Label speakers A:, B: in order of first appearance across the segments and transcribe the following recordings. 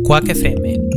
A: Quack FM.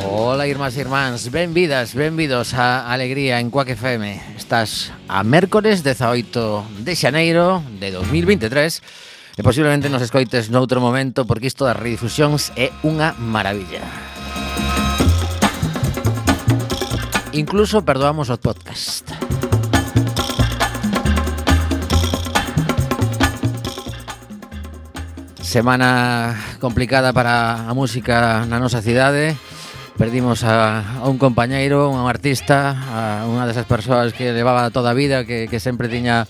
B: Ola, irmás e irmáns, benvidos a Alegría en Quack FM. Estás a mércores 18 de xaneiro de 2023 e posiblemente nos escoites noutro momento porque isto das redifusións é unha maravilla. Incluso perdoamos o podcast. Semana complicada para a música na nosa cidade. Perdimos a un compañeiro, un artista, a unha desas persoas que levaba toda a vida, que sempre tiña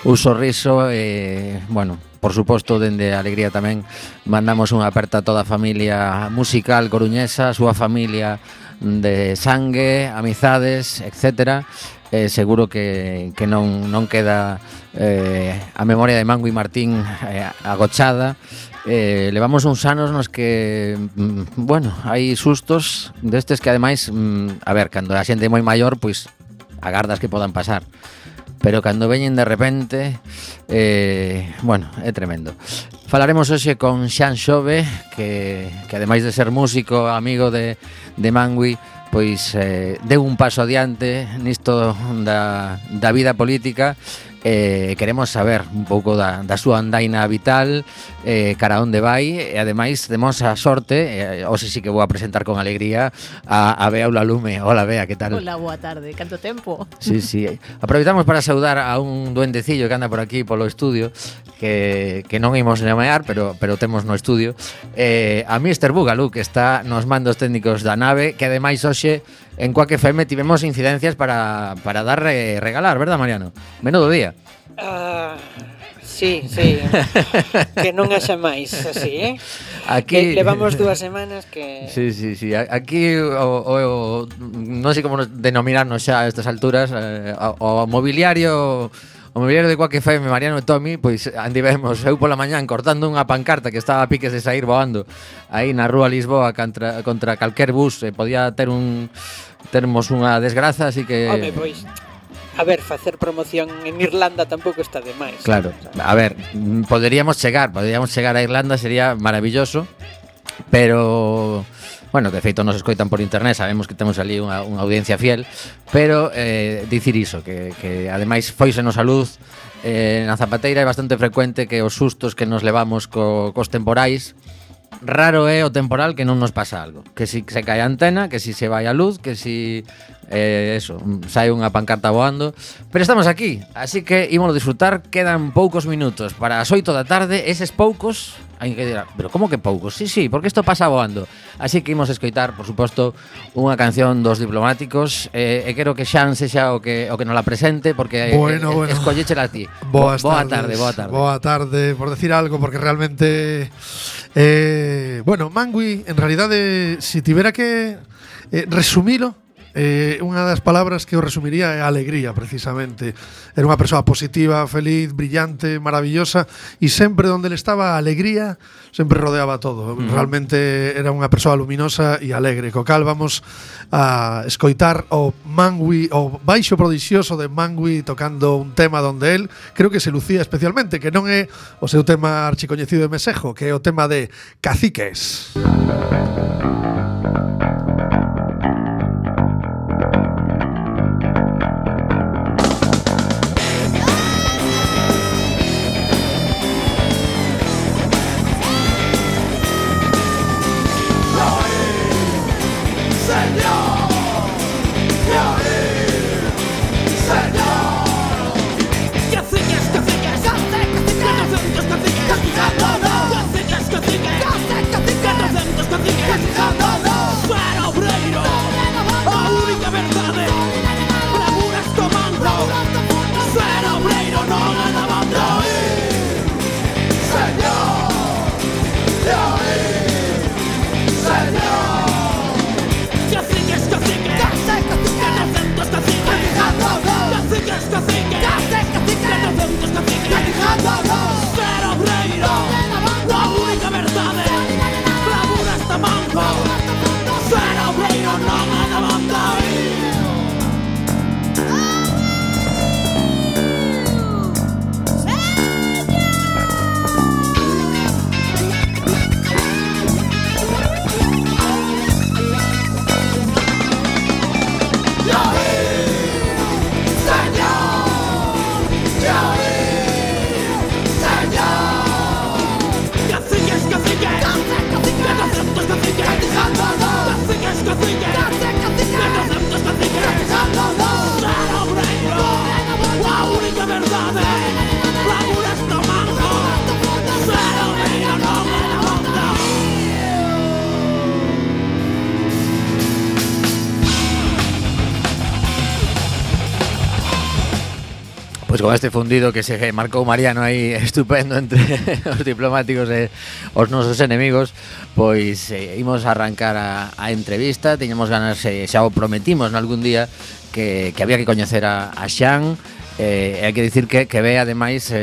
B: un sorriso e, bueno, por suposto, dende Alegría tamén mandamos unha aperta a toda a familia musical coruñesa, a súa familia de sangue, amizades, etcétera. Seguro que non queda a memoria de Mangui Martín agochada. Levamos uns anos nos que, bueno, hai sustos destes que ademais, a ver, cando a xente é moi maior, pois agardas que podan pasar, pero cando veñen de repente, bueno, é tremendo. Falaremos hoxe con Xan Xove, que ademais de ser músico, amigo de Mangui, pois deu un paso adiante nisto da vida política queremos saber un pouco da súa andaina vital, cara onde vai, e ademais temos a sorte, hoxe sí que vou a presentar con alegría a Bea Ulalume. Hola Bea, que tal?
A: Hola, boa tarde, canto tempo.
B: Sí, aproveitamos para saudar a un duendecillo que anda por aquí polo estudio, que non imos nomear, pero temos no estudio, a Mr. Bugalú, que está nos mandos técnicos da nave, que ademais hoxe en Quack FM tivemos incidencias para dar regalar, verdad, Mariano? Menudo día.
C: Sí, que non haxa máis así,
B: Aquí
C: levamos 2 semanas que...
B: Sí. Aquí non sei como denominarnos xa a estas alturas, o mobiliario de Quack FM, Mariano e Tommy, pois andivemos eu pola mañán cortando unha pancarta que estaba a piques de sair voando aí na rúa Lisboa contra calquer bus, podía termos unha desgraza, así que...
C: Home, pois, a ver, facer promoción en Irlanda tampouco está de máis.
B: Claro, a ver, poderíamos chegar a Irlanda, sería maravilloso, pero... Bueno, de feito nos escoitan por internet, sabemos que temos ali unha audiencia fiel, pero dicir iso, que ademais foisenos a luz na Zapateira, é bastante frecuente que os sustos que nos levamos cos temporais, raro é o temporal que non nos pasa algo, que si se cae a antena, que si se vai a luz, que si sai unha pancarta voando, pero estamos aquí, así que ímolo disfrutar. Quedan poucos minutos para as 8 da tarde, eses poucos hai que dirá, pero como que poucos? Sí, porque isto pasa voando. Así que imos escoitar, por suposto, unha canción dos Diplomáticos, e quero que Xan sexa o que nos la presente, porque
D: bueno.
B: escolléchela a ti.
D: Boa
B: tarde.
D: Boa tarde, por decir algo, porque realmente bueno, Mangui, en realidade, si tivera que resumilo, unha das palabras que eu resumiría é a alegría, precisamente. Era unha persoa positiva, feliz, brillante, maravillosa, e sempre onde ele estaba a alegría sempre rodeaba todo. Realmente era unha persoa luminosa e alegre. Co cal vamos a escoitar o Mangui, o baixo prodixioso de Mangui, tocando un tema donde él creo que se lucía especialmente, que non é o seu tema archicoñecido de Mesejo, que é o tema de Caciques.
B: Pois con este fundido que se marcou Mariano aí estupendo entre os Diplomáticos e os nosos enemigos, pois imos arrancar a entrevista. Tiñamos ganas, xa o prometimos nalgún día, que había que coñecer a Xan. Hai que dicir que Bea ademais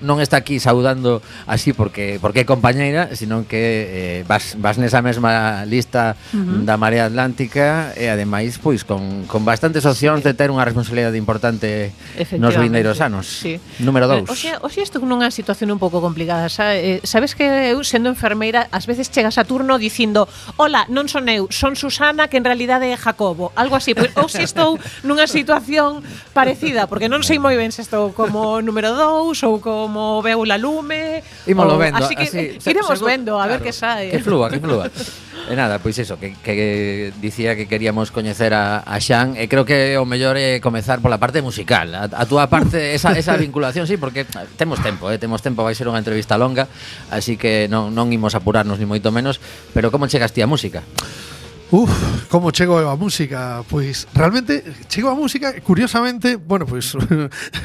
B: non está aquí saudando así porque é compañeira, sino que vas nesa mesma lista da Marea Atlántica, e ademais pois con bastantes opcións de ter unha responsabilidade importante nos vindeiros anos.
A: Sí.
B: Número 2.
A: Oxe, estou nunha situación un pouco complicada. Sabes que eu, sendo enfermeira, ás veces chegas a turno dicindo: "Hola, non son eu, son Susana, que en realidade é Jacobo", algo así. Pois hoxe estou nunha situación parecida, porque porque non sei moi ben se estou como número 2 ou como veu la lume.
B: Ímolo vendo,
A: así que iremos vendo a ver que sae.
B: Que flúa. E nada, pois iso, que dicía que queríamos coñecer a Xan, e creo que o mellor é comezar pola parte musical. A túa parte, esa vinculación, sí, porque temos tempo, vai ser unha entrevista longa, así que non imos apurarnos ni moito menos, pero como chegas ti a música?
D: Como chego a música? Pois realmente chego a música, curiosamente, bueno, pois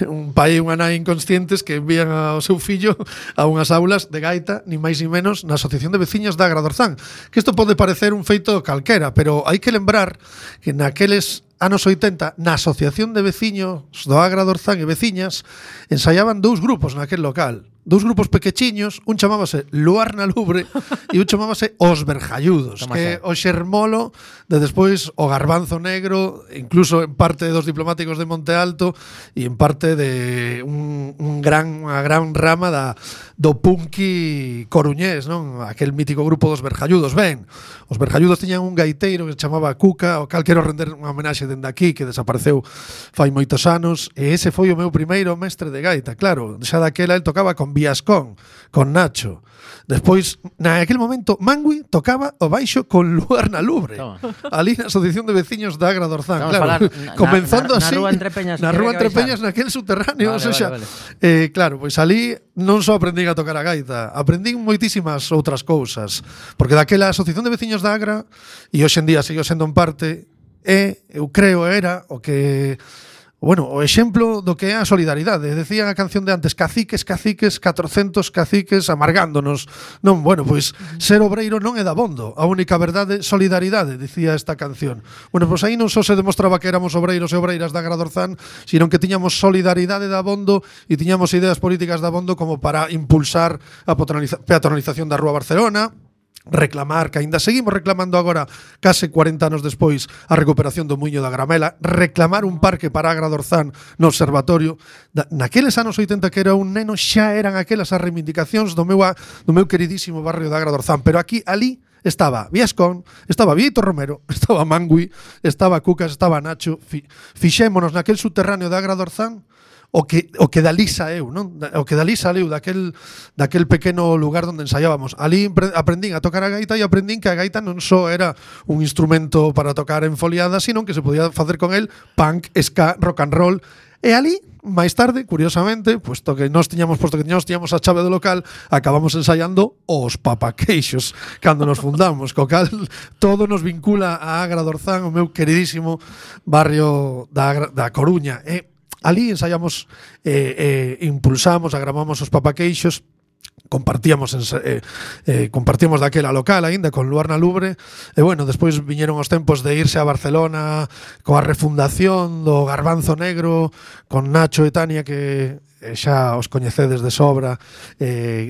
D: un pai e unha nai inconscientes que envían ao seu fillo a unhas aulas de gaita, ni máis ni menos, na Asociación de Veciños da Agra do Orzán. Que isto pode parecer un feito calquera, pero hai que lembrar que naqueles anos 80, na Asociación de Veciños do Agra do Orzán e veciñas, ensaiaban 2 grupos naquel local. 2 grupos pequechiños, un chamábase Luar na Lubre e un chamábase Os Vergalludos, que o xermolo de despois o Garbanzo Negro, incluso en parte dos diplomáticos de Monte Alto e en parte de unha gran rama do punky coruñés, non? Aquel mítico grupo dos Vergalludos. Ben, os Vergalludos tiñan un gaiteiro que se chamaba Cuca, o cal quero render unha homenaxe dende aquí, que desapareceu fai moitos anos, e ese foi o meu primeiro mestre de gaita. Claro, xa daquela el tocaba con Viascón, con Nacho. Despois, naquele momento, Mangui tocaba o baixo con Luar na Lubre. Ali na Asociación de Veciños da Agra do Orzán. Claro, comenzando así
B: na Rúa Entre Peñas,
D: naquel subterráneo.
B: Vale.
D: Claro, pois ali non só aprendín a tocar a gaita, aprendín moitísimas outras cousas. Porque daquela Asociación de Veciños da Agra, e hoxe en día sigo sendo en parte, eu creo era o que... Bueno, o exemplo do que é a solidaridade. Decía a canción de antes, caciques, 400 caciques amargándonos. Non, bueno, pois ser obreiro non é dabondo. A única verdade, solidaridade, dicía esta canción. Bueno, pois aí non só se demostraba que éramos obreiros e obreiras da Agra do Orzán, sino que tiñamos solidaridade dabondo e tiñamos ideas políticas dabondo como para impulsar a peatonalización da Rúa Barcelona, reclamar, que aínda seguimos reclamando agora, case 40 anos despois, a recuperación do Muiño da Gramela, reclamar un parque para Agra do Orzán no observatorio. Naqueles anos 80 que era un neno, xa eran aquelas as reivindicacións do meu queridísimo barrio da Agra do Orzán, pero ali estaba Viascón, estaba Vítor Romero, estaba Mangui, estaba Cucas, estaba Nacho. Fixémonos naquel subterráneo da Agra do Orzán o que dali saeu, non? O que dali saleu daquel pequeno lugar onde ensaiábamos. Ali aprendín a tocar a gaita e aprendín que a gaita non só era un instrumento para tocar en foliada, sino que se podía facer con el punk, ska, rock and roll. E ali, máis tarde, curiosamente, puesto que nós tiñamos a chave do local, acabamos ensaiando os Papaqueixos cando nos fundamos, co cal todo nos vincula a Agra do Orzán, o meu queridísimo barrio da Coruña. Ali ensaiamos, impulsamos, agramamos os Papaqueixos, compartíamos daquela local aínda con Luar na Lubre, e bueno, despois viñeron os tempos de irse a Barcelona coa refundación do Garbanzo Negro con Nacho e Tania, que xa os coñecedes de sobra.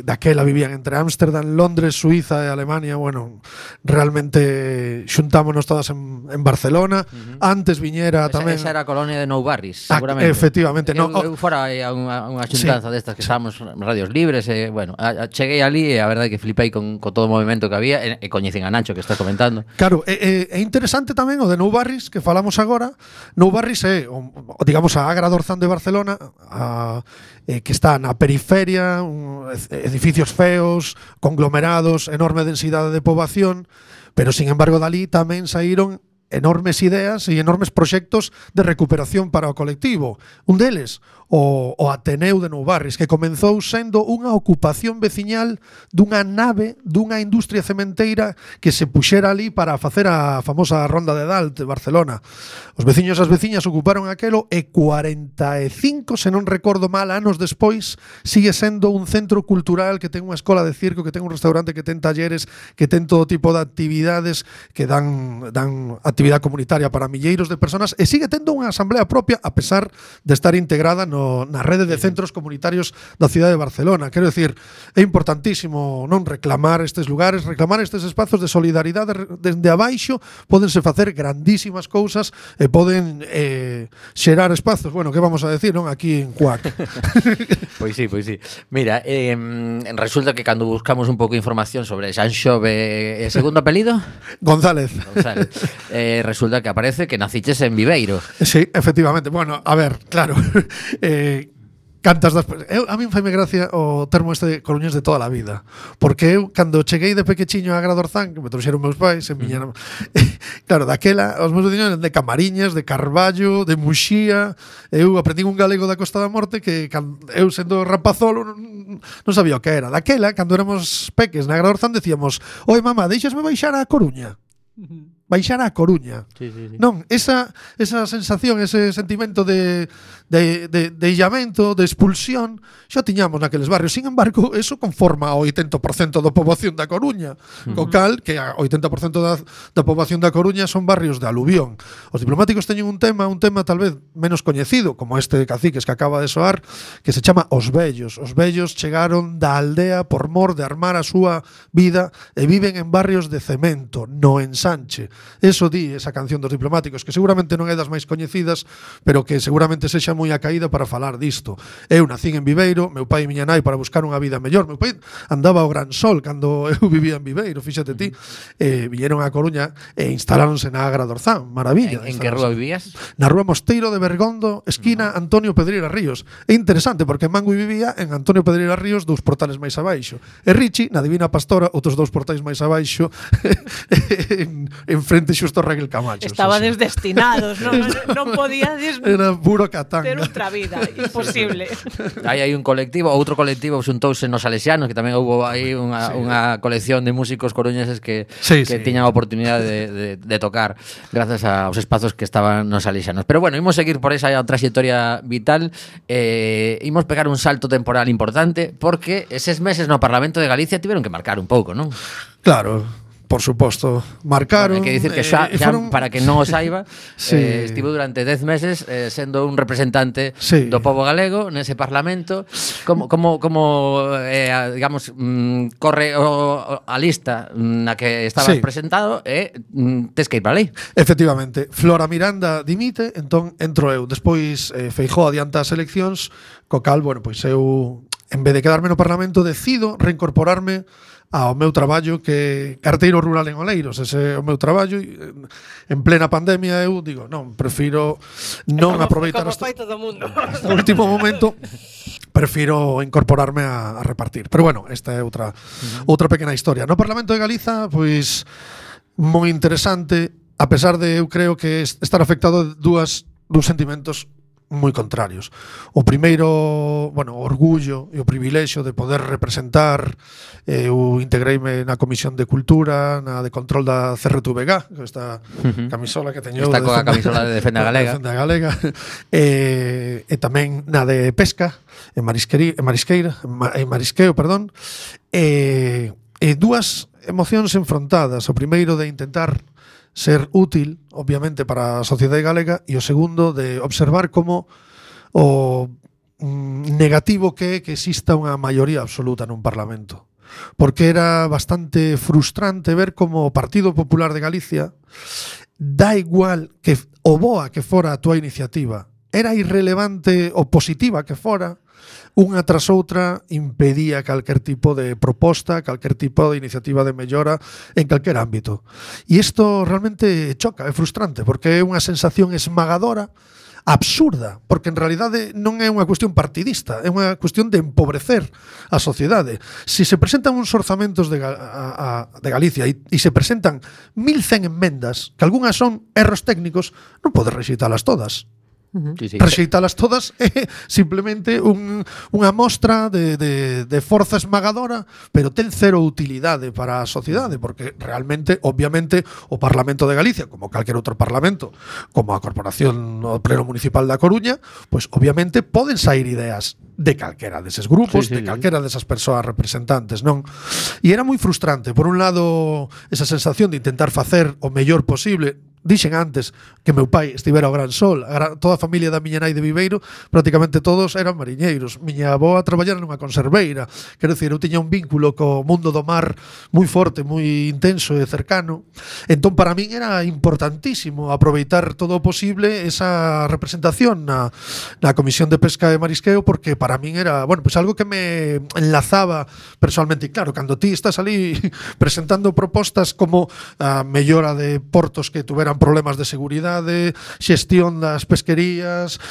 D: Daquela vivían entre Ámsterdam, Londres, Suiza e Alemania. Bueno, realmente xuntámonos todas en Barcelona. Antes viñera tamén...
B: Esa era a colonia de Nou Barris, seguramente.
D: Efectivamente.
B: Eu fora a unha xuntanza destas que estábamos radios libres, e bueno, cheguei ali e a verdade que flipei con todo o movimento que había, e coñecín a Nacho, que está comentando.
D: Claro, é interesante tamén o de Nou Barris que falamos agora. Nou Barris é, digamos, a Agra do Orzán de Barcelona, que está na periferia, edificios feos, conglomerados, enorme densidade de poboación, pero, sin embargo, dali tamén saíron enormes ideas e enormes proxectos de recuperación para o colectivo. Un deles, o Ateneu de Nou Barris, que comenzou sendo unha ocupación veciñal dunha nave dunha industria cementeira que se puxera ali para facer a famosa Ronda de Dalt de Barcelona. Os veciños e as veciñas ocuparon aquelo e 45, se non recordo mal, anos despois, sigue sendo un centro cultural que ten unha escola de circo, que ten un restaurante, que ten talleres, que ten todo tipo de actividades que dan actividade comunitaria para milleiros de personas, e sigue tendo unha asamblea propia a pesar de estar integrada na rede de centros comunitarios da cidade de Barcelona. Quero dicir, é importantísimo non reclamar estes lugares, reclamar estes espazos de solidaridade desde abaixo. Pódense facer grandísimas cousas e poden xerar espazos, bueno, que vamos a decir, non? Aquí en Cuac.
B: Pois sí. Mira, resulta que cando buscamos un pouco de información sobre Xan Xove, segundo apelido?
D: González.
B: resulta que aparece que naciches en Viveiro.
D: Sí, efectivamente. Bueno, a ver, claro. Cantas das... a mí faime gracia o termo este de coruñés de toda a vida, porque eu, cando cheguei de pequechiño a Gradorzán, que me trouxeron meus pais, en miña... claro, daquela, os meus veciños eran de Camariñas, de Carballo, de Muxía. Eu aprendí un galego da Costa da Morte que eu, sendo rapazolo, non sabía o que era. Daquela, cando éramos peques na Gradorzán, decíamos: oi, mamá, deixasme baixar a Coruña. Baixar a Coruña.
B: Sí.
D: Non, esa sensación, ese sentimento de illamento, de expulsión, xa tiñamos naqueles barrios. Sin embargo, eso conforma o 80% da poboación da Coruña. Co cal, que o 80% da poboación da Coruña son barrios de aluvión. Os diplomáticos teñen un tema tal vez menos coñecido, como este de Caciques que acaba de soar, que se chama Os Vellos. Os vellos chegaron da aldea por mor de armar a súa vida e viven en barrios de cemento, no ensanche. Eso di esa canción dos diplomáticos, que seguramente non é das máis coñecidas, pero que seguramente sexa moi acaída para falar disto. Eu nacín en Viveiro, meu pai e miña nai para buscar unha vida mellor. Meu pai andaba ao Gran Sol cando eu vivía en Viveiro, fíxate ti. Viñeron a Coruña e instaláronse na Gradorzán. Maravilla.
B: En que rúa vivías?
D: Na rúa Mosteiro de Bergondo, esquina Antonio Pedreira Ríos. É interesante porque Mangui vivía en Antonio Pedreira Ríos, 2 portales máis abaixo. E Richi, na Divina Pastora, outros 2 portais máis abaixo, en frente xusto a Raquel Camacho.
A: Estabades destinados, non podíades
D: era puro catanga.
A: ter outra vida, imposible.
B: Aí hai un colectivo, outro colectivo xuntouse nos Salesianos, que tamén houve aí unha colección de músicos coruñeses que tiñan a oportunidade de tocar grazas aos espazos que estaban nos Salesianos. Pero bueno, imos seguir por esa trayectoria vital, imos pegar un salto temporal importante, porque eses meses no Parlamento de Galicia tiveron que marcar un pouco, non?
D: Claro. Por suposto, marcaron.
B: Hai que dicir que xa para que non o saiba, estivo durante 10 meses sendo un representante do pobo galego nese Parlamento. Como digamos, corre a lista na que estabas presentado e tes que ir para ali.
D: Efectivamente, Flora Miranda dimite, entón entro eu. Despois Feijóo adianta as eleccións, co cal, bueno, pois eu, en vez de quedarme no Parlamento, decido reincorporarme ao meu traballo, que carteiro rural en Oleiros. Ese é o meu traballo. En plena pandemia eu digo, non, prefiro non aproveitar
C: hasta
D: o último momento, prefiro incorporarme a repartir. Pero bueno, esta é outra pequena historia. No Parlamento de Galiza, pois moi interesante, a pesar de eu creo que estar afectado de dous sentimentos moi contrarios. O primeiro, bueno, o orgullo e o privilexio de poder representar. Eu integreime na Comisión de Cultura, na de Control da CRTVG, que esta camisola que teño.
B: Esta coa camisola de Defenda Galega.
D: E tamén na de Pesca, en Marisqueo, perdón. E dúas emocións enfrontadas. O primeiro de intentar ser útil, obviamente, para a sociedade galega, e o segundo de observar como o negativo que é que exista unha maioría absoluta nun Parlamento. Porque era bastante frustrante ver como o Partido Popular de Galicia, dá igual que o boa que fora a túa iniciativa, era irrelevante o positiva que fora, unha tras outra impedía calquer tipo de proposta, calquer tipo de iniciativa de mellora en calquer ámbito. E isto realmente choca, é frustrante, porque é unha sensación esmagadora, absurda, porque en realidade non é unha cuestión partidista, é unha cuestión de empobrecer a sociedade. Se se presentan uns orzamentos de Galicia e se presentan 1100 enmendas, que algunhas son erros técnicos, non podes rexeitalas todas. Rexeitalas todas é simplemente unha mostra de forza esmagadora, pero ten cero utilidade para a sociedade, porque realmente, obviamente, o Parlamento de Galicia, como calquer outro parlamento, como a Corporación o Pleno Municipal da Coruña, pois obviamente poden sair ideas de calquera deses grupos, de calquera desas persoas representantes, non? E era moi frustrante, por un lado, esa sensación de intentar facer o mellor posible. Dixen antes que meu pai estivera ao Gran Sol. Toda a familia da miña nai de Viveiro, prácticamente todos eran mariñeiros. Miña avó a traballar nunha conserveira. Quero dicir, eu tiña un vínculo co mundo do mar moi forte, moi intenso e cercano. Entón, para min era importantísimo aproveitar todo o posible esa representación na Comisión de Pesca e Marisqueo, porque para min era, bueno, pues algo que me enlazaba personalmente. E claro, cando ti estás ali presentando propostas como a mellora de portos que tuveran eran problemas de seguridade, xestión das pesquerías,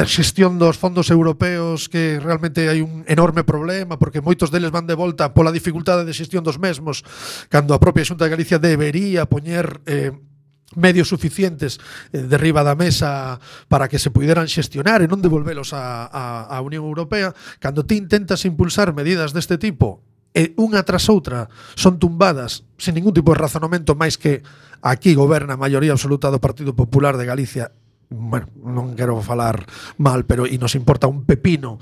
D: xestión dos fondos europeos, que realmente hai un enorme problema porque moitos deles van de volta pola dificultade de xestión dos mesmos, cando a propia Xunta de Galicia debería poñer medios suficientes derriba da mesa para que se puderan xestionar e non devolvelos a Unión Europea. Cando ti intentas impulsar medidas deste tipo e unha tras outra son tumbadas sin ningún tipo de razonamento, máis que aquí goberna a maioría absoluta do Partido Popular de Galicia. Bueno, non quero falar mal, pero e nos importa un pepino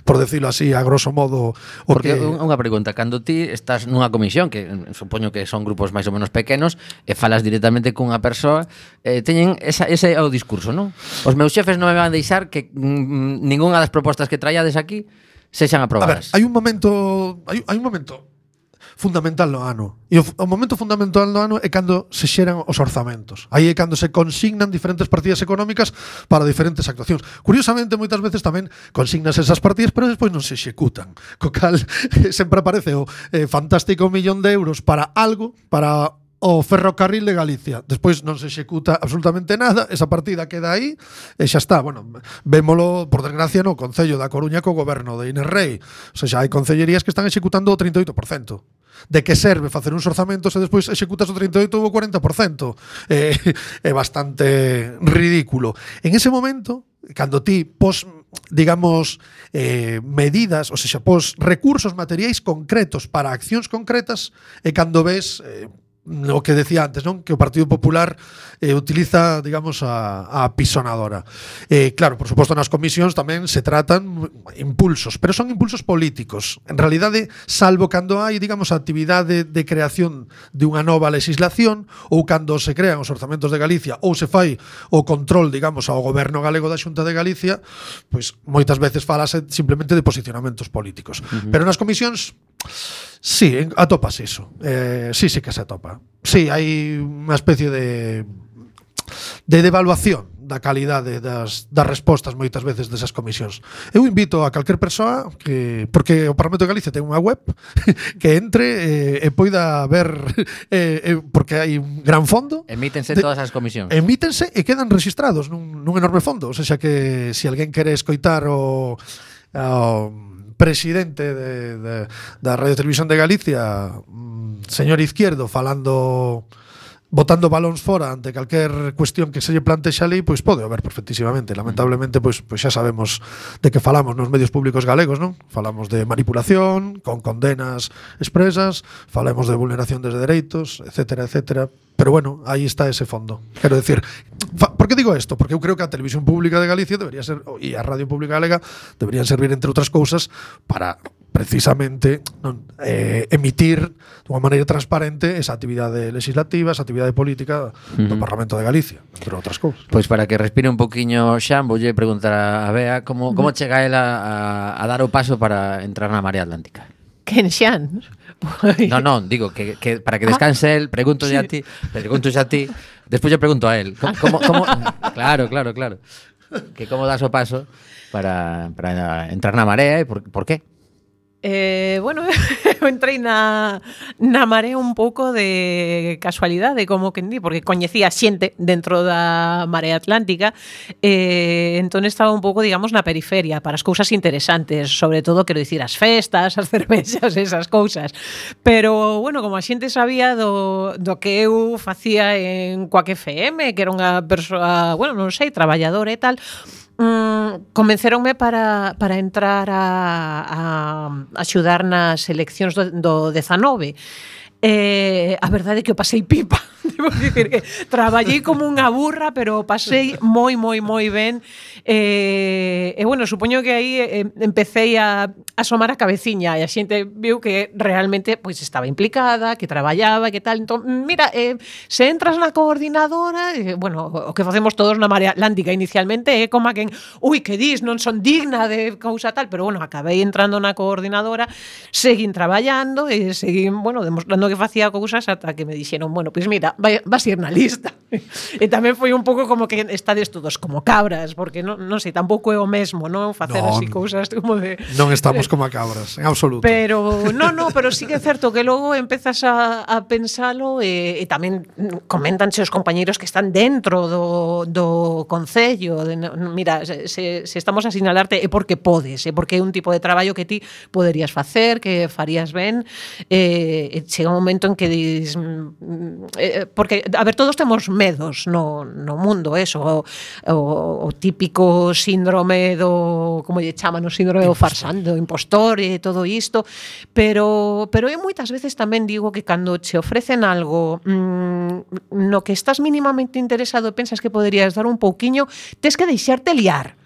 D: por decirlo así, a grosso modo.
B: Porque unha pregunta, cando ti estás nunha comisión, que supoño que son grupos máis ou menos pequenos, e falas directamente cunha persoa, teñen ese é o discurso, non? Os meus xefes non me van deixar que ningunha das propostas que traíades aquí sexan aprobadas.
D: A ver, hai un momento fundamental no ano. E o momento fundamental no ano é cando se xeran os orzamentos. Aí é cando se consignan diferentes partidas económicas para diferentes actuacións. Curiosamente, moitas veces tamén consignas esas partidas, pero despois non se executan. Co cal sempre aparece o fantástico 1 millón de euros para algo, para o ferrocarril de Galicia. Despois non se executa absolutamente nada, esa partida queda aí e xa está. Bueno, vémolo, por desgracia, no Concello da Coruña co goberno de Inés Rei. O sea, hai concellerías que están executando o 38%. De que serve facer uns orzamentos e despois executas o 38% ou o 40%? É bastante ridículo. En ese momento, cando ti digamos, medidas, ou seja, recursos materiais concretos para accións concretas, e cando ves o que decía antes, non? Que o Partido Popular utiliza, digamos, a pisonadora. Claro, por suposto, nas comisións tamén se tratan impulsos, pero son impulsos políticos. En realidade, salvo cando hai, digamos, a actividade de creación de unha nova legislación, ou cando se crean os orzamentos de Galicia, ou se fai o control, digamos, ao goberno galego da Xunta de Galicia, pois moitas veces falase simplemente de posicionamentos políticos. Pero nas comisións sí, atopas iso. Sí que se atopa. Sí, hai unha especie de devaluación da calidade das respostas moitas veces desas comisións. Eu invito a calquer persoa porque o Parlamento de Galicia ten unha web que entre e poida ver porque hai un gran fondo.
B: Emítense todas as comisións.
D: Emítense e quedan registrados nun enorme fondo. O sea que se alguén quere escoitar o presidente da Radio Televisión de Galicia, señor Izquierdo, botando balóns fora ante calquer cuestión que se lle plantexa ali, pois pode haber perfectísimamente. Lamentablemente, pois xa sabemos de que falamos nos medios públicos galegos, non? Falamos de manipulación, con condenas expresas, falamos de vulneración de dereitos, etcétera, etcétera. Pero bueno, aí está ese fondo. Quero decir, por que digo isto? Porque eu creo que a Televisión Pública de Galicia debería ser, e a Radio Pública Galega deberían servir, entre outras cousas, para precisamente emitir de unha maneira transparente esa actividade legislativa, esa actividade política do Parlamento de Galicia, entre outras cousas.
B: Pois para que respire un poquiño Xan, voulle preguntar a Bea como chega ela a dar o paso para entrar na Marea Atlántica.
A: Quen Xan?
B: Non, digo que para que descanse el, pregunto a ti, despois lle pregunto a él. Como claro. Que como das o paso para entrar na Marea e por qué?
A: Bueno, eu entrei na Marea un pouco de casualidade, como que di, porque coñecía xente dentro da Marea Atlántica, entón estaba un pouco, digamos, na periferia para as cousas interesantes, sobre todo, quero dicir, as festas, as cervexas, esas cousas. Pero, bueno, como a xente sabía do que eu facía en Coac FM, que era unha persoa, bueno, non sei, traballadora e tal, convenceronme para entrar a axudar nas eleccións do 19. A verdade é que o pasei pipa. Debo dicir que traballei como unha burra, pero pasei moi ben. Bueno, supoño que aí empecé a asomar a cabeciña e a xente viu que realmente pois estaba implicada, que traballaba, que tal. Entón, mira, se entras na coordinadora, bueno, o que facemos todos na Marea Atlántica inicialmente é como a quen, que dis, non son digna de cousa tal, pero bueno, acabei entrando na coordinadora, seguín traballando e seguín, bueno, demostrando que facía cousas ata que me dixeron, bueno, pois mira, vas ir na lista. E tamén foi un pouco como que estades todos como cabras, porque non sei, tampouco é o mesmo, non? Facer así cousas como de...
D: Non estamos como a cabras, en absoluto.
A: Pero pero sí que é certo que logo empezas a pensalo e tamén comentanche os compañeiros que están dentro do concello. Mira, se estamos a sinalarte é porque podes, é porque é un tipo de traballo que ti poderías facer, que farías ben. Chega un momento en que dis... porque, a ver, todos temos medos no mundo, eso, o típico síndrome do... como lle chaman, o síndrome do farsante, do impostor e todo isto, pero eu moitas veces tamén digo que cando che ofrecen algo no que estás mínimamente interesado e pensas que poderías dar un pouquiño, tes que deixarte liar.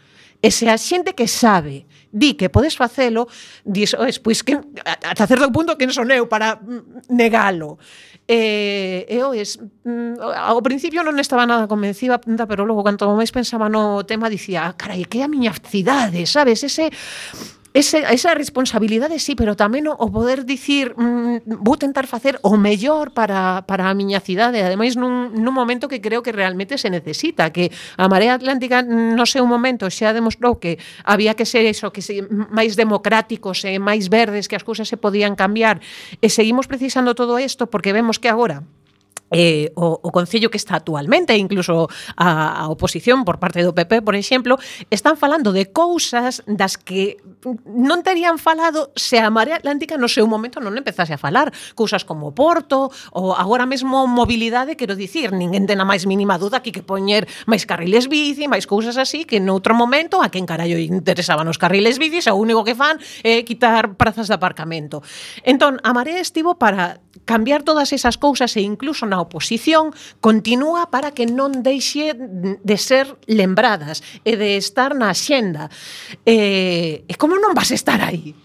A: E se a xente que sabe di que podes facelo, dis, pois que ata certo punto quen son eu para negalo. Ao principio non estaba nada convencida, pero logo, canto máis pensaba no tema, dicía, carai, que é a miña cidade, sabes? Esa responsabilidade, sí, pero tamén o poder dicir vou tentar facer o mellor para a miña cidade, ademais nun momento que creo que realmente se necesita, que a Marea Atlántica no seu momento xa demostrou que había que ser eso, que ser máis democráticos e máis verdes, que as cousas se podían cambiar, e seguimos precisando todo isto porque vemos que agora o Concello que está actualmente, incluso a oposición por parte do PP, por exemplo, están falando de cousas das que non terían falado se a Marea Atlántica no seu momento non empezase a falar. Cousas como Porto, ou agora mesmo mobilidade, quero dicir, ninguén ten a máis mínima duda que poñer máis carriles bici, máis cousas así, que noutro momento a quen carallo interesaban os carriles bicis, o único que fan é quitar prazas de aparcamento. Entón, a Marea estivo para cambiar todas esas cousas e incluso na oposición continúa para que non deixe de ser lembradas e de estar na axenda. E como non vas estar aí?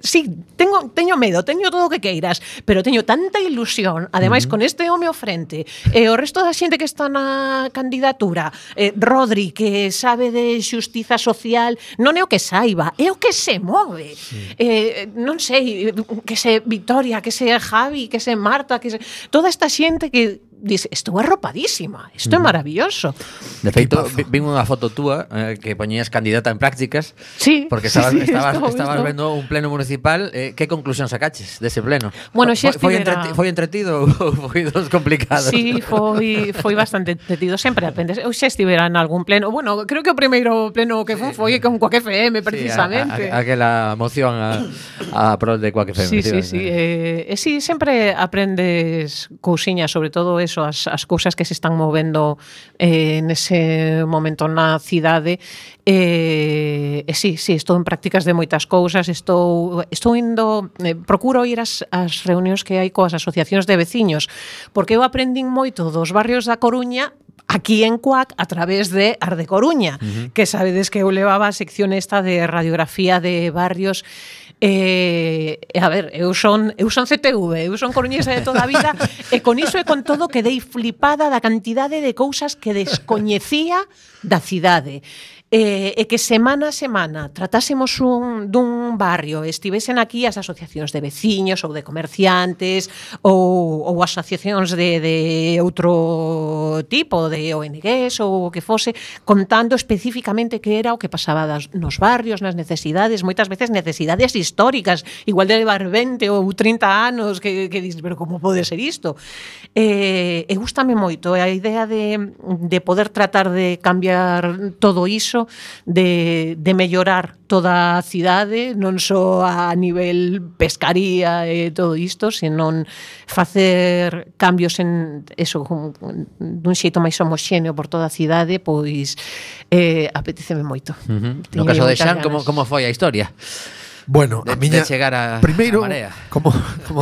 A: Sí, teño medo, teño todo o que queiras, pero teño tanta ilusión, ademais con este home ao frente, e o resto da xente que está na candidatura, Rodri, que sabe de xustiza social, non é o que saiba, é o que se move. Non sei, que se Victoria, que se Javi, que se Marta, que se... toda esta xente que dice, estou arropadísima, isto é maravilloso.
B: De feito, vin unha foto túa que poñías candidata en prácticas,
A: sí,
B: porque estabas vendo un pleno municipal. Que conclusión sacaches dese pleno?
A: Bueno, xa
B: foi entretido ou foi dos complicados?
A: Sí, foi bastante entretido, sempre aprendes. Eu xa estivera en algún pleno, bueno, creo que o primeiro pleno que foi con Quack FM, precisamente.
B: Aquela moción a prol de Quack FM.
A: Sí, sí, sempre aprendes cousiñas, sobre todo eso, as cousas que se están movendo nese momento na cidade. Sí, estou en prácticas de moitas cousas, estou indo, procuro ir ás reunións que hai coas asociacións de veciños, porque eu aprendín moito dos barrios da Coruña aquí en Cuac a través de Ar de Coruña, que sabedes que eu levaba a sección esta de radiografía de barrios. A ver, eu son CTV, eu son coruñesa de toda a vida, e con iso e con todo quedei flipada da cantidade de cousas que descoñecía da cidade. E que semana a semana tratásemos dun barrio, estivesen aquí as asociacións de veciños ou de comerciantes ou asociacións de outro tipo, de ONGs ou o que fose, contando especificamente que era o que pasaba nos barrios, nas necesidades, moitas veces necesidades históricas, igual de levar 20 ou 30 anos que dices, pero como pode ser isto? E gústame moito a idea de poder tratar de cambiar todo iso, de mellorar toda a cidade, non só a nivel pescaría e todo isto, senón facer cambios en eso, dun xeito máis homoxéneo por toda a cidade, pois apeteceme moito.
B: No caso de Xan, como foi a historia?
D: Bueno, a miña
B: chegar a
D: primeiro,
B: Marea.
D: como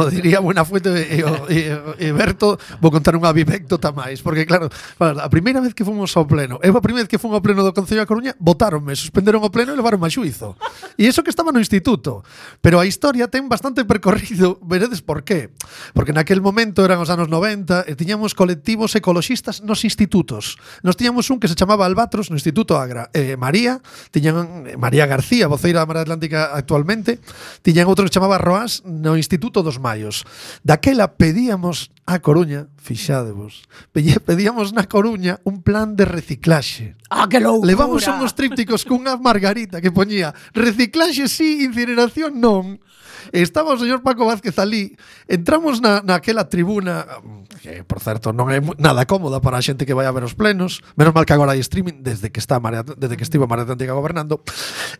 D: diría Buenafuente e Berto, vou contar unha anécdota máis, porque claro, a primeira vez que fomos ao pleno, a primeira vez que fomos ao pleno do Concello da Coruña, botáronme, suspenderon o pleno e levaronme a xuízo. E iso que estaba no instituto. Pero a historia ten bastante percorrido, veredes por qué? Porque naquel momento eran os anos 90 e tiñamos colectivos ecoloxistas nos institutos. Nos tiñamos un que se chamaba Albatros no Instituto Agra. María García, voceira da Marea Atlántica actualmente, precisamente, tiñan outro que chamaba Roas no Instituto dos Maios. Daquela pedíamos a Coruña, fixádevos, pedíamos na Coruña un plan de reciclaxe.
A: ¡Ah, que loucura!
D: Levamos unhos trípticos cunha margarita que poñía reciclaxe sí, incineración non. E estaba o señor Paco Vázquez ali. Entramos naquela tribuna, que, por certo, non é nada cómoda para a xente que vai a ver os plenos. Menos mal que agora hai streaming desde que estivo a Marea Atlántica gobernando.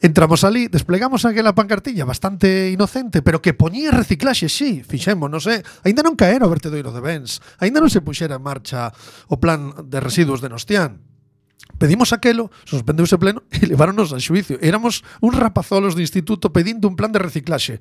D: Entramos ali, desplegamos aquela pancartilla bastante inocente, pero que poñía reciclaxe, sí, fixemos, non sei. Aínda non caera o vertedoiro de Bens. Aínda non se puxera en marcha o plan de residuos de Nostián. Pedimos aquelo, suspendeuse pleno e leváronos a xuicio. Éramos uns rapazolos de instituto pedindo un plan de reciclaxe.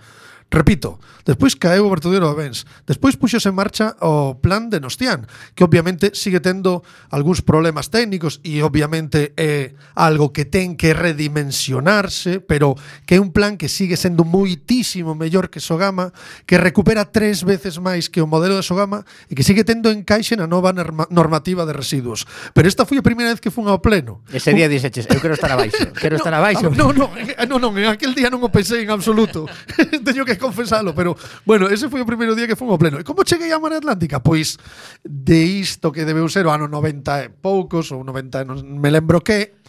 D: Repito, despois caeu o vertedoiro de Bens, despois puxose en marcha o plan de Nostián, que obviamente sigue tendo algúns problemas técnicos e obviamente é algo que ten que redimensionarse, pero que é un plan que sigue sendo moitísimo mellor que Sogama, que recupera 3 veces máis que o modelo de Sogama e que sigue tendo encaixe na nova normativa de residuos. Pero esta foi a primeira vez que fun ao pleno.
B: Ese día dixeches, eu quero estar abaixo, estar abaixo.
D: Non, en aquel día non o pensei en absoluto. Teño que confesalo, pero bueno, ese foi o primeiro día que fun ao pleno. E como cheguei á Marea Atlántica? Pois de isto que debeu ser o ano 90 e poucos, ou 90, non me lembro que,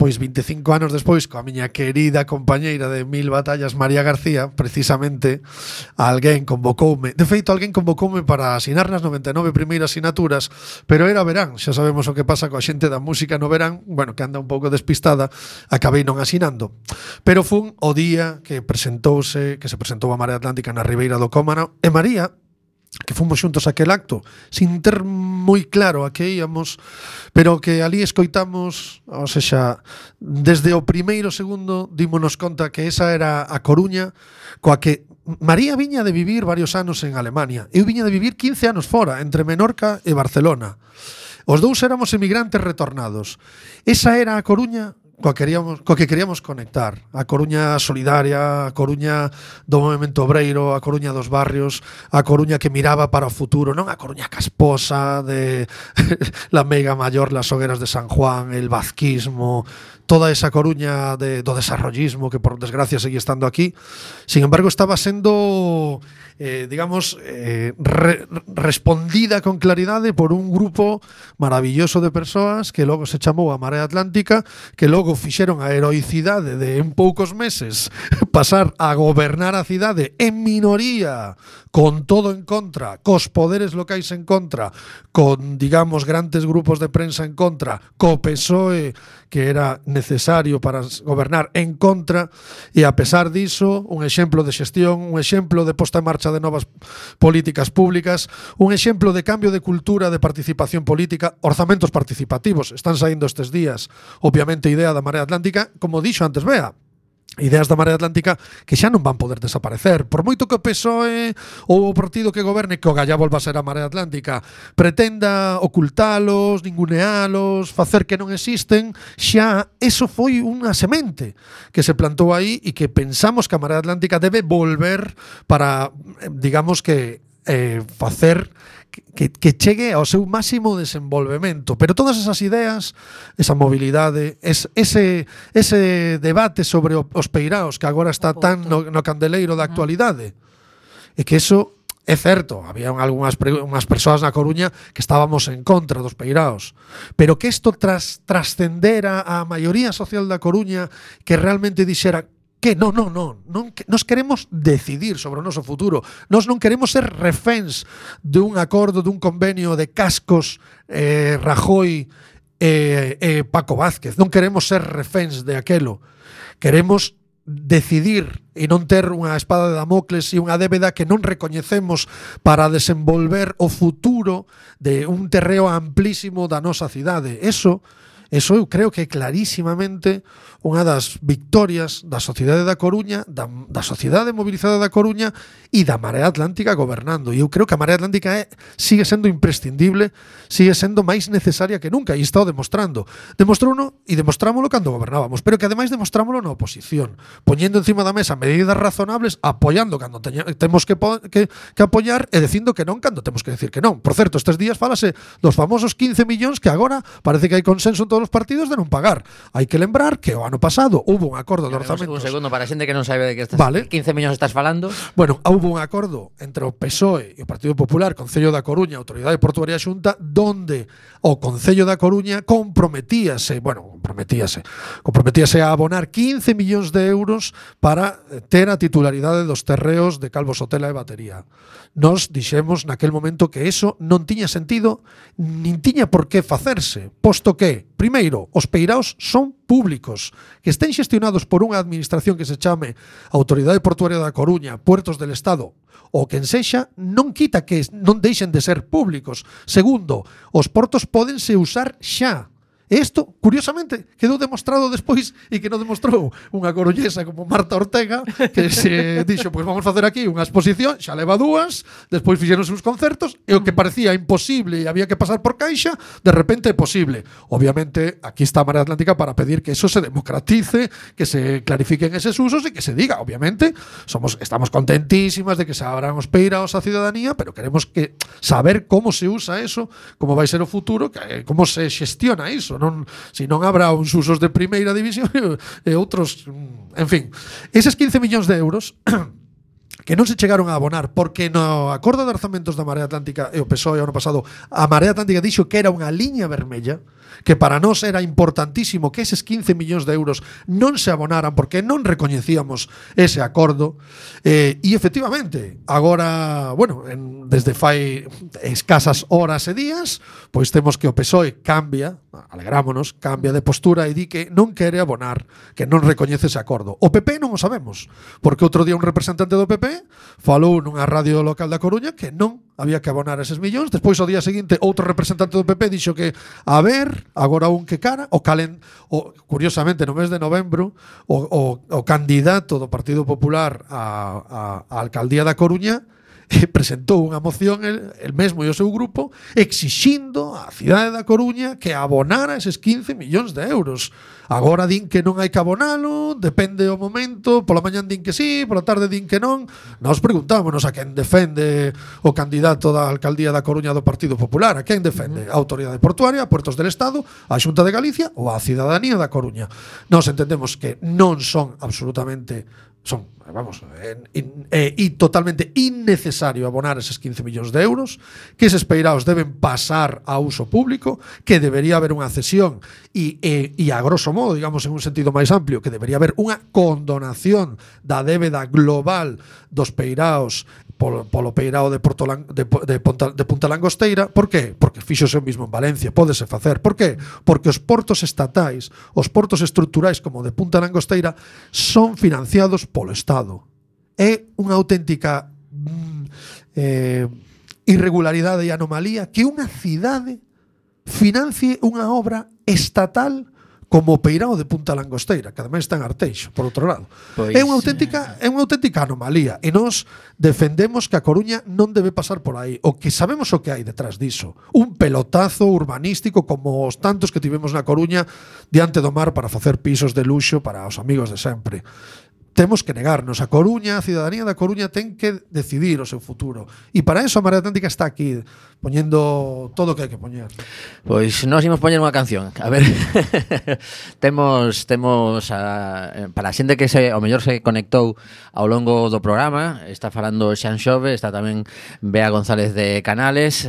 D: pois 25 anos despois, coa miña querida compañeira de 1000 batallas, María García, precisamente, alguén convocoume. De feito, alguén convocoume para asinar nas 99 primeiras sinaturas, pero era verán. Xa sabemos o que pasa coa xente da música no verán, bueno, que anda un pouco despistada, acabei non asinando. Pero fun o día que se presentou a Marea Atlántica na Ribeira do Cómano, e María, que fomos xuntos aquel acto, sin ter moi claro a que íamos, pero que ali escoitamos, ou seja, desde o primeiro segundo dímonos conta que esa era a Coruña coa que María viña de vivir varios anos en Alemania. Eu viña de vivir 15 anos fora, entre Menorca e Barcelona. Os dous éramos emigrantes retornados. Esa era a Coruña coa que queríamos conectar. A Coruña solidaria, a Coruña do movemento obreiro, a Coruña dos barrios, a Coruña que miraba para o futuro, non a Coruña casposa de la Mega Mayor, las hogueras de San Juan, el vazquismo, toda esa Coruña do desarrollismo que por desgracia sigue estando aquí. Sin embargo, estaba sendo respondida con claridade por un grupo maravilloso de persoas que logo se chamou a Marea Atlántica, que logo fixeron a heroicidade de en poucos meses pasar a gobernar a cidade en minoría, con todo en contra, cos poderes locais en contra, con, digamos, grandes grupos de prensa en contra, co PSOE, que era necesario para gobernar en contra, e a pesar diso, un exemplo de xestión, un exemplo de posta en marcha de novas políticas públicas, un exemplo de cambio de cultura de participación política, orzamentos participativos, están saindo estes días, obviamente idea da Marea Atlántica, como dixo antes Bea, ideas da Marea Atlántica que xa non van poder desaparecer. Por moito que o PSOE ou o partido que goberne, que o galla volva a ser a Marea Atlántica, pretenda ocultalos, ningunealos, facer que non existen, xa eso foi unha semente que se plantou aí e que pensamos que a Marea Atlántica debe volver para, digamos que, facer que chegue ao seu máximo desenvolvemento. Pero todas esas ideas, esa mobilidade, ese debate sobre os peiraos que agora está tan no candeleiro da actualidade, e que eso é certo, había unhas persoas na Coruña que estábamos en contra dos peiraos, pero que isto trascendera a maioría social da Coruña, que realmente dixera que non, nos queremos decidir sobre o noso futuro. Nos non queremos ser reféns dun acordo, dun convenio de Cascos, Rajoy e Paco Vázquez. Non queremos ser reféns de aquelo. Queremos decidir e non ter unha espada de Damocles e unha débeda que non recoñecemos para desenvolver o futuro de un terreo amplísimo da nosa cidade. Eso eu creo que é clarísimamente unha das victorias da sociedade da Coruña, da sociedade mobilizada da Coruña e da Marea Atlántica gobernando. E eu creo que a Marea Atlántica sigue sendo imprescindible, sigue sendo máis necesaria que nunca, e está o demostrando. Demostrouno e demostrámolo cando gobernábamos, pero que ademais demostrámolo na oposición, poñendo encima da mesa medidas razonables, apoiando cando temos que apoiar e dicindo que non cando temos que decir que non. Por certo, estes días fálase dos famosos 15 millóns que agora parece que hai consenso en todos os partidos de non pagar. Hai que lembrar que o ano pasado houve un acordo de
B: Un
D: orzamentos.
B: segundo, para a xente que non sabe de que estás,
D: Vale.
B: 15 millóns estás falando.
D: Bueno, houve un acordo entre o PSOE e o Partido Popular, Concello da Coruña, Autoridade Portuaria Xunta, donde o Concello da Coruña comprometíase a abonar 15 millóns de euros para ter a titularidade dos terreos de Calvo Sotela e Batería. Nos dixemos naquel momento que eso non tiña sentido nin tiña por que facerse, posto que, primeiro, os peiraos son públicos, que estén xestionados por unha administración que se chame Autoridade Portuaria da Coruña, Puertos del Estado, ou quen sexa, non quita que non deixen de ser públicos. Segundo, os portos pódense usar xa. Isto, curiosamente, quedou demostrado despois e que non demostrou unha coruñesa como Marta Ortega, que se dixo, pois vamos facer aquí unha exposición, xa leva dúas, despois fixeronse uns concertos, e o que parecía imposible e había que pasar por caixa, de repente é posible. Obviamente, aquí está a Marea Atlántica para pedir que eso se democratice, que se clarifiquen eses usos e que se diga, obviamente, estamos contentísimas de que se abran os peiraos á cidadanía, pero queremos que saber como se usa eso, como vai ser o futuro, como se xestiona iso. Si non habrá uns usos de primeira división e outros, en fin, eses 15 millóns de euros que non se chegaron a abonar porque no acordo de orzamentos da Marea Atlántica e o PSOE ano pasado, a Marea Atlántica dixo que era unha liña vermella, que para nós era importantísimo que eses 15 millóns de euros non se abonaran porque non recoñecíamos ese acordo, e efectivamente agora, bueno, desde fai escasas horas e días, pois temos que o PSOE cambia, alegrámonos, cambia de postura e di que non quere abonar, que non recoñece ese acordo. O PP non o sabemos, porque outro día un representante do PP falou nunha radio local da Coruña que non había que abonar eses millóns. Despois, ao día seguinte, outro representante do PP dixo que, a ver, agora un que cara, curiosamente, no mes de novembro, o candidato do Partido Popular á alcaldía da Coruña presentou unha moción el mesmo e o seu grupo exixindo á cidade da Coruña que abonara eses 15 millóns de euros. Agora din que non hai que abonalo, depende o momento, pola mañán din que sí, pola tarde din que non. Nós preguntámonos a quen defende o candidato da alcaldía da Coruña do Partido Popular, a quen defende? A Autoridade Portuaria, a Puertos del Estado, a Xunta de Galicia ou a cidadanía da Coruña. Nós entendemos que non son absolutamente totalmente innecesario abonar eses 15 millóns de euros, que eses peiraos deben pasar a uso público, que debería haber unha cesión e a grosso modo, digamos en un sentido máis amplio, que debería haber unha condonación da débeda global dos peiraos polo peirao de Punta Langosteira. Por qué? Porque fíxose o mismo en Valencia, pódese facer. Por qué? Porque os portos estatais, os portos estruturais como de Punta Langosteira son financiados polo Estado. É unha auténtica irregularidade e anomalía que unha cidade financie unha obra estatal como o peirao de Punta Langosteira, que ademais está en Arteixo, por outro lado. Pois é unha auténtica anomalía, e nós defendemos que a Coruña non debe pasar por aí. O que sabemos o que hai detrás diso, un pelotazo urbanístico como os tantos que tivemos na Coruña diante do mar para facer pisos de luxo para os amigos de sempre. Temos que negarnos. A Coruña, a cidadanía da Coruña ten que decidir o seu futuro. E para eso a Marea Atlántica está aquí, poñendo todo o que hai que poñer.
B: Pois nós imos poñer unha canción. A ver, temos para a xente que ao mellor se conectou ao longo do programa, está falando Xan Xove, está tamén Bea González de Canales,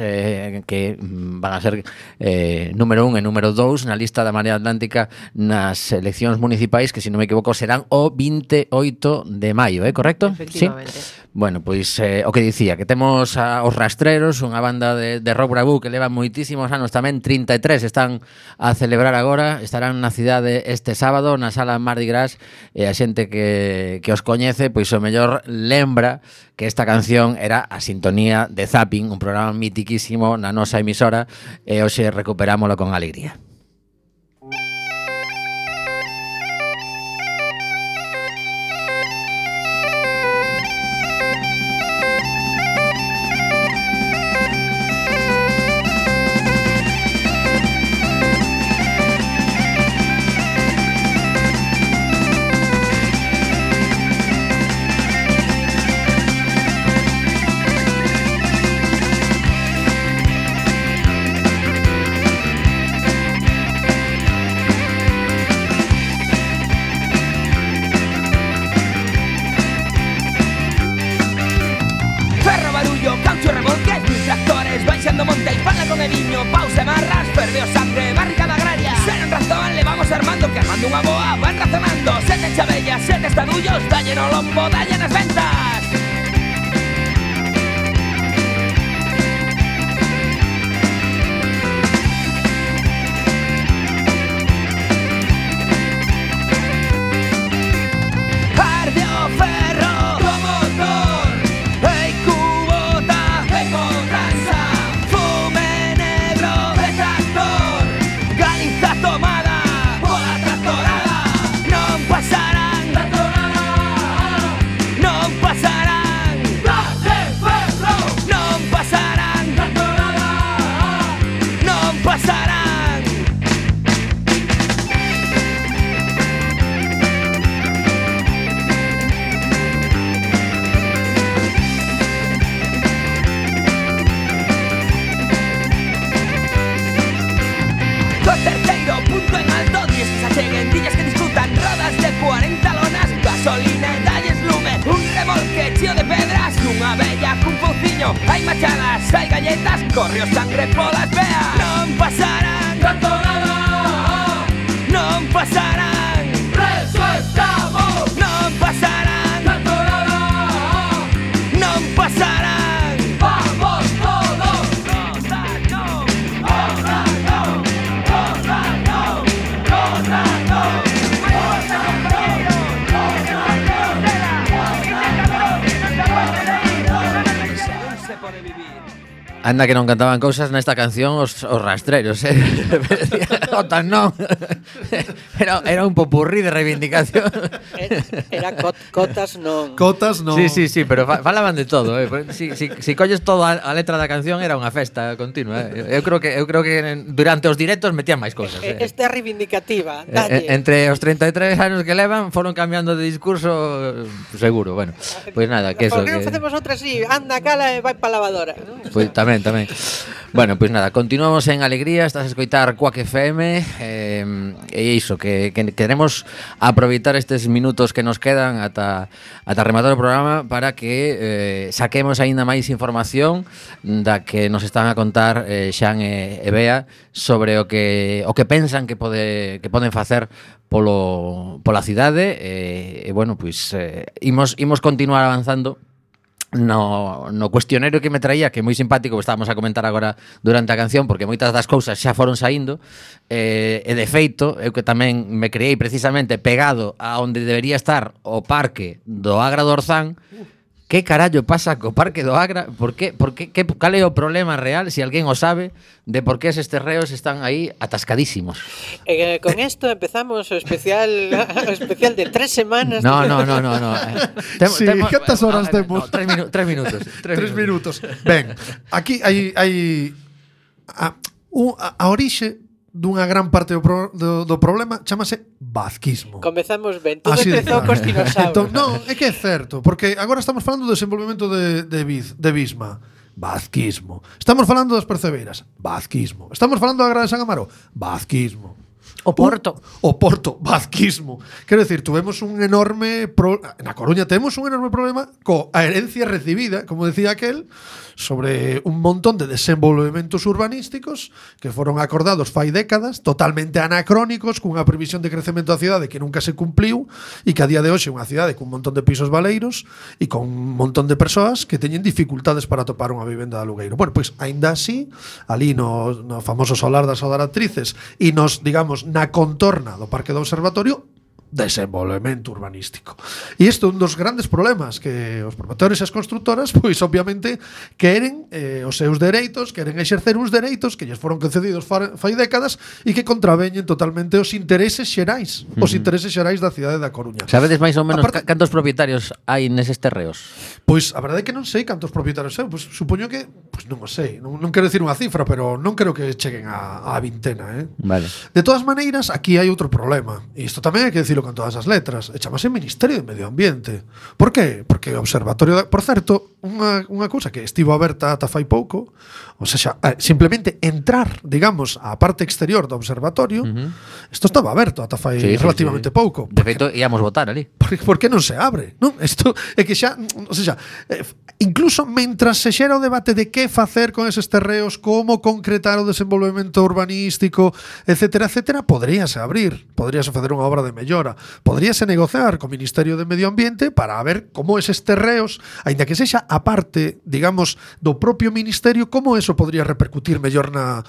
B: que van a ser número 1 e número 2 na lista da Marea Atlántica nas eleccións municipais, que se non me equivoco serán o 28 de maio, correcto?
A: Efectivamente.
B: ¿Sí? Bueno, pois o que dicía, que temos os Rastreros, unha banda de rock bravú que leva moitísimos anos tamén, 33 están a celebrar agora, estarán na cidade este sábado na sala Mardi Gras, e a xente que os coñece, pois o mellor lembra que esta canción era a sintonía de Zapping, un programa mitiquísimo na nosa emisora, e hoxe recuperámoslo con alegría.
E: Cando monte e fala con Ediño, pausa e marras, ferve o sangre, barricada agraria. Sen razón, le vamos armando, que armando unha boa van razonando. Sete chavellas, sete estadullos, dalle no lombo, dalle nas ventas. Arde o ferro do motor, ei cubota, ei cobranza, fume negro de tractor, Galiza tomada pola tractorada. Non pasarán tractorada, non pasarán Arde ferro, non pasarán tractorada, non pasarán. Co terceiro punto en alto, dies que se acheguen, dillas que disfrutan, rodas de 40 lonas, gasolina e dalles lume, un remolque cheo de pedras, nunha bella cun pouciño, hai machadas, hai galletas, corre o sangre polas veas. Non pasarán tractorada, non pasarán, preso estamos. Non pasarán tractorada, non pasarán. Vamos todos, rosa no, rosa no, rosa no, rosa no. Rosa compañero, rosa no, non se pode vivir.
B: Anda que non cantaban cousas nesta canción os rastreros, Cotas non. Era un popurrí de reivindicación.
C: Era cotas non.
D: Cotas non.
B: Sí, pero falaban de todo, Si colles toda a letra da canción era unha festa continua, Eu creo que durante os directos metían máis cousas,
C: Esta é reivindicativa, dalle.
B: Entre os 33 anos que levan foron cambiando de discurso seguro, bueno. Pois nada, que eso
C: Por que non facemos outra así? Anda, cala e vai pa lavadora.
B: Pois tamén. Bueno, pois nada, continuamos en alegría. Estás a escoitar Quack FM, e iso, que queremos aproveitar estes minutos que nos quedan ata rematar o programa para que saquemos aínda máis información da que nos están a contar Xan e Bea sobre o que pensan que poden facer pola cidade, e bueno, pois imos continuar avanzando no cuestionario que me traía, que é moi simpático, que estábamos a comentar agora durante a canción, porque moitas das cousas xa foron saindo, e de feito, eu que tamén me creei precisamente pegado a onde debería estar o parque do Agra do Orzán. Que carallo pasa co parque do Agra? Cal é o problema real, se alguén o sabe, de por que eses terreos están aí atascadísimos?
C: Con isto empezamos o especial de 3 semanas.
B: No.
D: Sí, cantas horas temos?
B: 3 minutos.
D: 3 minutos. Ben, aquí hai a orixe dunha gran parte do problema chamase vazquismo.
C: Comezamos ben, todo
D: Así de
C: empezou
D: claro.
C: cos dinosaurios.
D: Entón, non, é que é certo, porque agora estamos falando do desenvolvemento de Bisma. Vazquismo. Estamos falando das percebeiras. Vazquismo. Estamos falando da Grada de San Amaro. Vazquismo.
A: O Porto.
D: O Porto, vazquismo. Quero decir, tuvemos un enorme na Coruña temos un enorme problema coa herencia recibida, como decía aquel, sobre un montón de desenvolvementos urbanísticos que foron acordados fai décadas, totalmente anacrónicos, cunha previsión de crecemento da cidade que nunca se cumpliu e que a día de hoxe é unha cidade cun montón de pisos baleiros e con un montón de persoas que teñen dificultades para topar unha vivenda de alugueiro. Bueno, pois, aínda así, ali no famoso solar das Odaratrices e nos, digamos, na contorna do Parque do Observatorio, desenvolvemento urbanístico. E isto é un dos grandes problemas que os promotores e as constructoras, pois obviamente queren os seus dereitos, queren exercer uns dereitos que lles foron concedidos fai décadas e que contraveñen totalmente os intereses xerais, os intereses xerais da cidade da Coruña.
B: Sabedes máis ou menos cantos propietarios hai neses terreos?
D: Pois a verdade é que non sei cantos propietarios sei, pois supoño que, pois non o sei, non quero dicir unha cifra, pero non creo que cheguen a vintena,
B: Vale.
D: De todas maneiras, aquí hai outro problema, e isto tamén hai que dicilo con todas as letras, e chamase Ministerio de Medio Ambiente. Por qué? Porque o Observatorio por certo, unha cousa que estivo aberta ata fai pouco, o O sea, simplemente entrar, digamos, á parte exterior do observatorio, isto estaba aberto ata fai relativamente pouco.
B: De feito, íamos votar ali.
D: Por que non se abre? Non? Isto é que xa, o sea, incluso mentras se xera o debate de que facer con eses terreos, como concretar o desenvolvemento urbanístico, etcétera, etcétera, poderíase abrir, poderíase facer unha obra de mellora, poderíase negociar co Ministerio de Medio Ambiente para ver como eses terreos, aínda que sexa a parte, digamos, do propio Ministerio, como eso podría repercutir mellor na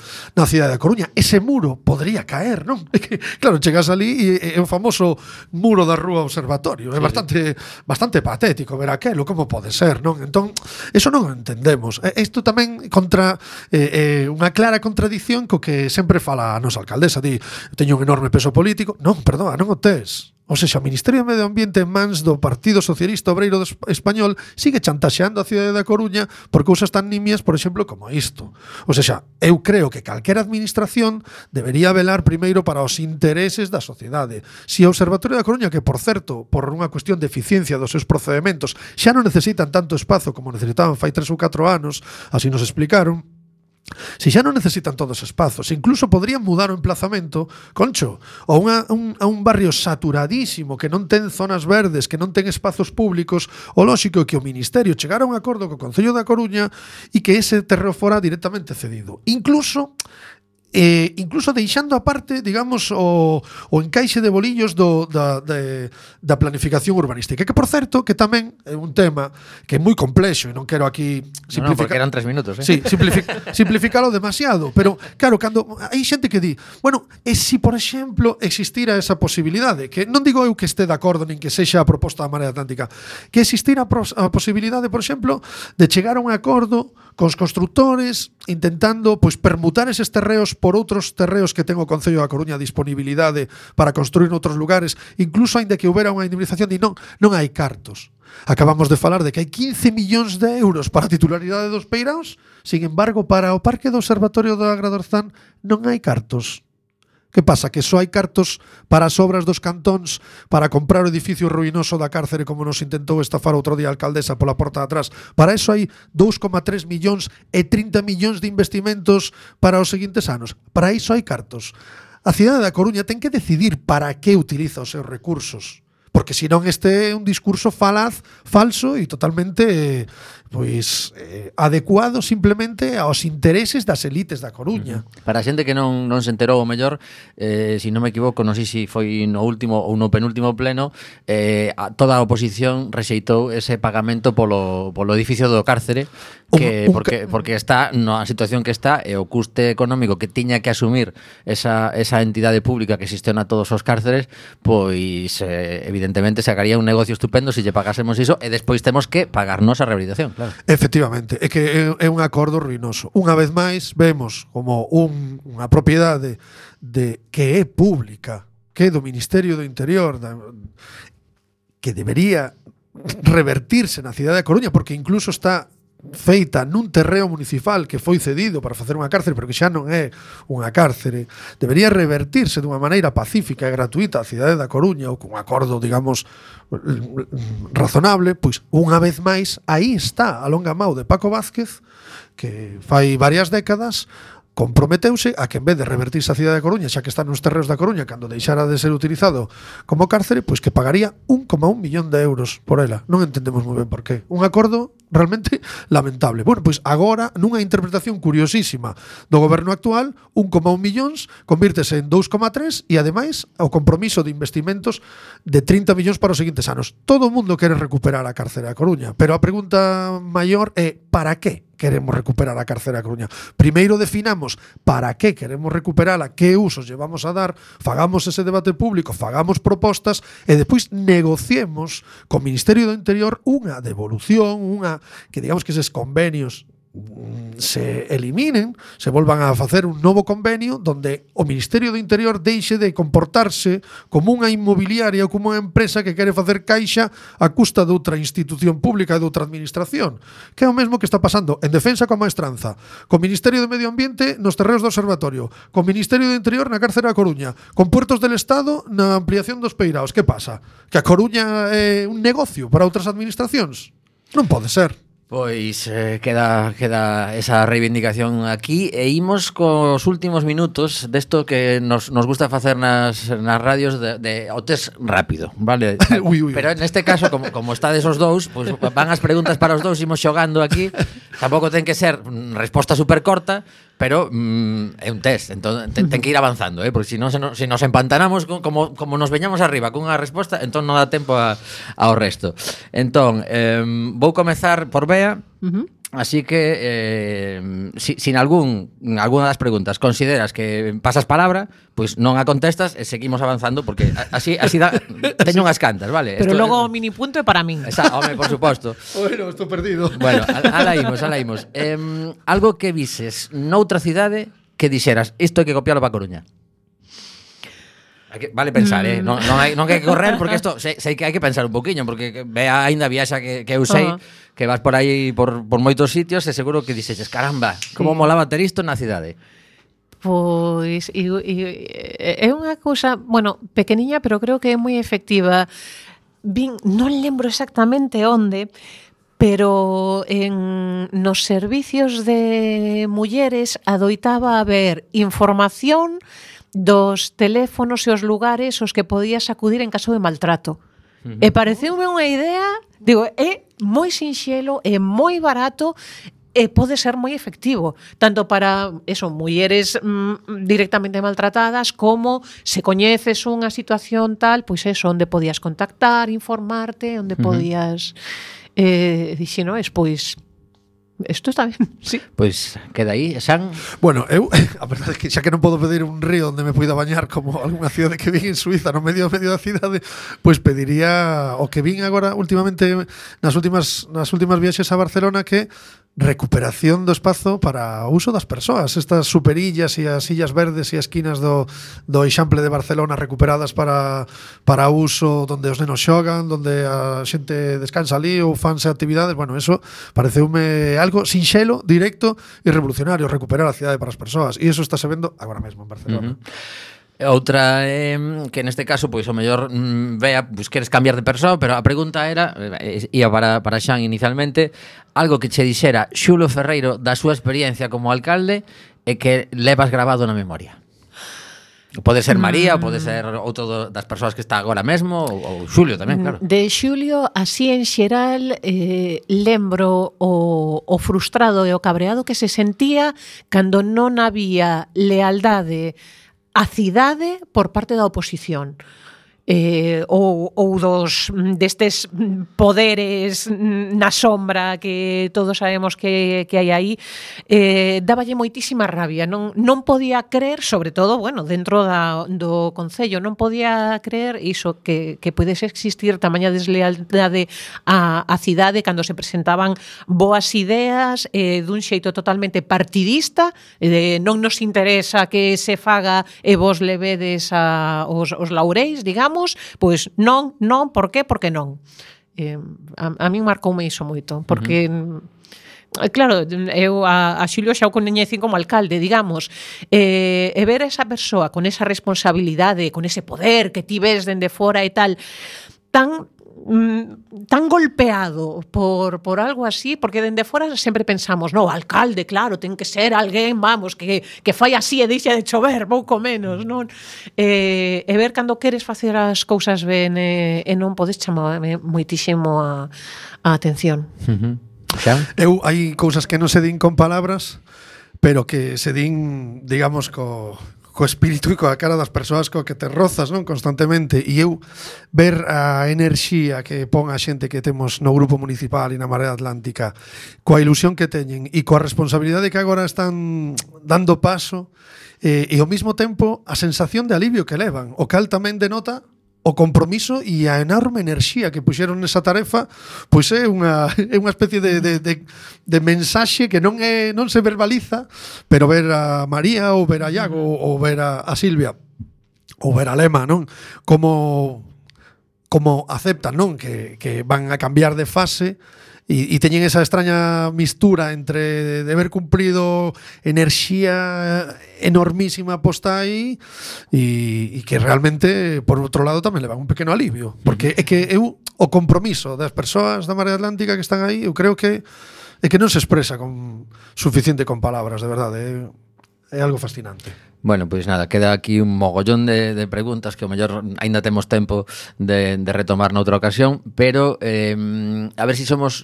D: cidade da Coruña. Ese muro podría caer, non? É que, claro, chegas ali e o famoso muro da Rúa Observatorio. É bastante patético ver aquelo, como pode ser, non? Entón, eso non o entendemos. Isto tamén contra unha clara contradición co que sempre fala a nosa alcaldesa. Di, teño un enorme peso político. Non, perdona, non o tes. O seja, o Ministerio de Medio Ambiente en mans do Partido Socialista Obreiro Español sigue chantaxeando a cidade da Coruña por cousas tan nimias, por exemplo, como isto. O seja, eu creo que calquera administración debería velar primeiro para os intereses da sociedade. Si o Observatorio da Coruña, que por certo, por unha cuestión de eficiencia dos seus procedementos, xa non necesitan tanto espazo como necesitaban fai 3 ou 4 anos, así nos explicaron, se xa non necesitan todos os espazos, incluso podrían mudar o emplazamento, Concho, ou a un barrio saturadísimo que non ten zonas verdes, que non ten espazos públicos, o lóxico é que o Ministerio chegara a un acordo co Concello da Coruña e que ese terreo fora directamente cedido. Incluso deixando aparte, digamos, o encaixe de bolillos da planificación urbanística, que por certo que tamén é un tema que é moi complexo e non quero aquí
B: simplificar. No, porque eran 3 minutos,
D: Sí, simplificalo demasiado, pero claro, cando hai xente que di, bueno, e si por exemplo existira esa posibilidade, que non digo eu que este de acordo nin que sexa a proposta da Marea Atlántica, que existira a posibilidade, por exemplo, de chegar a un acordo cos constructores intentando pois permutar eses terreos por outros terreos que ten o Concello da Coruña a disponibilidade para construir noutros lugares, incluso aínda que houbera unha indemnización, non hai cartos. Acabamos de falar de que hai 15 millóns de euros para a titularidade dos peiraos, sin embargo, para o Parque do Observatorio do Agradorzán non hai cartos. Que pasa? Que só hai cartos para as obras dos cantóns, para comprar o edificio ruinoso da cárcere, como nos intentou estafar outro día a alcaldesa pola porta de atrás. Para eso hai 2,3 millóns e 30 millóns de investimentos para os seguintes anos. Para iso hai cartos. A cidade da Coruña ten que decidir para que utiliza os seus recursos. Porque senón este é un discurso falso e totalmente adecuado simplemente aos intereses das elites da Coruña.
B: Para a xente que non se enterou o mellor, se non me equivoco, non sei se foi no último ou no penúltimo pleno, toda a oposición rexeitou ese pagamento polo edificio do cárcere, porque está na situación que está e o custe económico que tiña que asumir esa entidade pública que xestiona todos os cárceres, pois evidentemente sacaría un negocio estupendo se lle pagásemos iso e despois temos que pagarnos a rehabilitación. Claro.
D: Efectivamente, é que é un acordo ruinoso. Unha vez máis vemos como unha propiedade que é pública, que é do Ministerio do Interior, que debería revertirse na cidade da Coruña, porque incluso está feita nun terreo municipal que foi cedido para facer unha cárcere, pero que xa non é unha cárcere, debería revertirse dunha maneira pacífica e gratuita a cidade da Coruña, ou con un acordo, digamos, razonable. Pois unha vez máis aí está a longa mau de Paco Vázquez, que fai varias décadas comprometeuse a que en vez de revertirse a cidade da Coruña, xa que está nos terreos da Coruña, cando deixara de ser utilizado como cárcere, pois que pagaría 1,1 millón de euros por ela. Non entendemos moi ben por qué. Un acordo realmente lamentable. Bueno, pois agora, nunha interpretación curiosísima do goberno actual, 1,1 millóns convírtese en 2,3 e ademais o compromiso de investimentos de 30 millóns para os seguintes anos. Todo o mundo quere recuperar a cárcere da Coruña, pero a pregunta maior é para que queremos recuperar a cárcere da Coruña? Primeiro definamos para que queremos recuperala, que usos lle vamos a dar, fagamos ese debate público, fagamos propostas e despois negociemos co Ministerio do Interior unha devolución, que digamos que eses convenios se eliminen, se volvan a facer un novo convenio donde o Ministerio do Interior deixe de comportarse como unha inmobiliaria ou como unha empresa que quere facer caixa a custa de outra institución pública e de outra administración, que é o mesmo que está pasando en Defensa coa Maestranza, co Ministerio do Medio Ambiente nos terreos do Observatorio, co Ministerio do Interior na cárcere da Coruña, con Puertos del Estado na ampliación dos peiraos. Que pasa? Que a Coruña é un negocio para outras administracións? Non pode ser.
B: Pois queda esa reivindicación aquí e imos cos últimos minutos desto que nos gusta facer nas radios de o test rápido, vale?
D: Ui.
B: Pero neste caso, como estades os dous, pues van as preguntas para os dous, imos xogando aquí. Tampouco ten que ser resposta super corta, pero é un test, entón ten que ir avanzando, porque se nos empantanamos como nos veñamos arriba cunha resposta, entón non dá tempo ao resto. Entón, vou comezar por Bea. Así que sin alguna das preguntas consideras que pasas palabra, pois non a contestas e seguimos avanzando porque así teño unhas cantas, vale?
A: Pero logo o mini punto é para min.
B: Home, por suposto.
D: Bueno, estou perdido.
B: Bueno, ala imos. Algo que vises noutra cidade que dixeras, isto hai que copiarlo para Coruña. Vale pensar, non hai que correr porque isto sei que hai que pensar un poquinho porque Bea aínda viaxa que eu sei que vas por aí por moitos sitios e seguro que dixeches, caramba, como molaba ter isto na cidade.
A: Pois é unha cousa, bueno, pequeniña, pero creo que é moi efectiva. Non lembro exactamente onde, pero nos servicios de mulleres adoitaba haber información dos teléfonos e os lugares aos que podías acudir en caso de maltrato. E pareceume unha idea, digo, é moi sinxelo, é moi barato e pode ser moi efectivo, tanto para mulleres directamente maltratadas, como se coñeces unha situación tal, pois onde podías contactar, informarte, onde podías dixenoes, pois isto está ben, sí.
B: Pois queda aí, San.
D: Bueno, eu, a verdade é que xa que non podo pedir un río onde me poida bañar como algunha cidade que vin en Suiza no medio da cidade, pois pediría o que vin agora últimamente nas últimas viaxes a Barcelona, que recuperación do espazo para o uso das persoas, estas superillas e as sillas verdes e as esquinas do Eixample de Barcelona recuperadas para uso onde os nenos xogan, onde a xente descansa ali ou fanse actividades. Bueno, eso pareceume algo sinxelo, directo e revolucionario, recuperar a cidade para as persoas, e eso está se vendo agora mesmo en Barcelona.
B: Outra que neste caso pois o mellor Bea, pois queres cambiar de persoa, pero a pregunta era ia para Xan inicialmente, algo que che dixera Xulo Ferreiro da súa experiencia como alcalde e que levas grabado na memoria. Pode ser María, ou pode ser outro das persoas que está agora mesmo, ou Xulio tamén, claro.
A: De Xulio, así en xeral, lembro o frustrado e o cabreado que se sentía cando non había lealdade a cidade por parte da oposición. Ou destes poderes na sombra que todos sabemos que hai aí, dáballe moitísima rabia. Non podía creer, sobre todo, bueno, dentro do Concello, non podía creer iso, que pudese existir tamaña deslealdade a cidade cando se presentaban boas ideas dun xeito totalmente partidista, non nos interesa que se faga e vos levedes os laureis, digamos. Pois non, por qué? Porque non. A min marcoume iso moito, porque claro, eu a Xulio xa o coñecín como alcalde, digamos, e ver a esa persoa con esa responsabilidade, con ese poder que ti ves dende fora e tal, tan golpeado por algo así, porque dende fora sempre pensamos, no, alcalde, claro, ten que ser alguén, vamos, que fai así e deixa de chover, pouco menos, non? E ver cando queres facer as cousas ben e non podes chamarme moitísimo a atención.
D: Eu hai cousas que non se din con palabras, pero que se din, digamos, co espírito e coa cara das persoas co que te rozas, non, constantemente. E eu ver a enerxía que pon a xente que temos no grupo municipal e na Marea Atlántica, coa ilusión que teñen e coa responsabilidade que agora están dando paso, e ao mesmo tempo a sensación de alivio que levan, o cal tamén denota o compromiso e a enorme enerxía que puxeron nesa tarefa, pois é unha especie de mensaxe que non se verbaliza, pero ver a María ou ver a Iago ou ver a Silvia ou ver a Lema, non? Como aceptan, non? Que van a cambiar de fase e teñen esa extraña mistura entre de haber cumprido enerxía enormísima posta aí e que realmente, por outro lado, tamén levan un pequeno alivio, porque é que o compromiso das persoas da Marea Atlántica que están aí, eu creo que que non se expresa con suficiente con palabras, de verdade. É algo fascinante.
B: Bueno, pois nada, queda aquí un mogollón de preguntas que ao mellor aínda temos tempo de retomar noutra ocasión, pero a ver se somos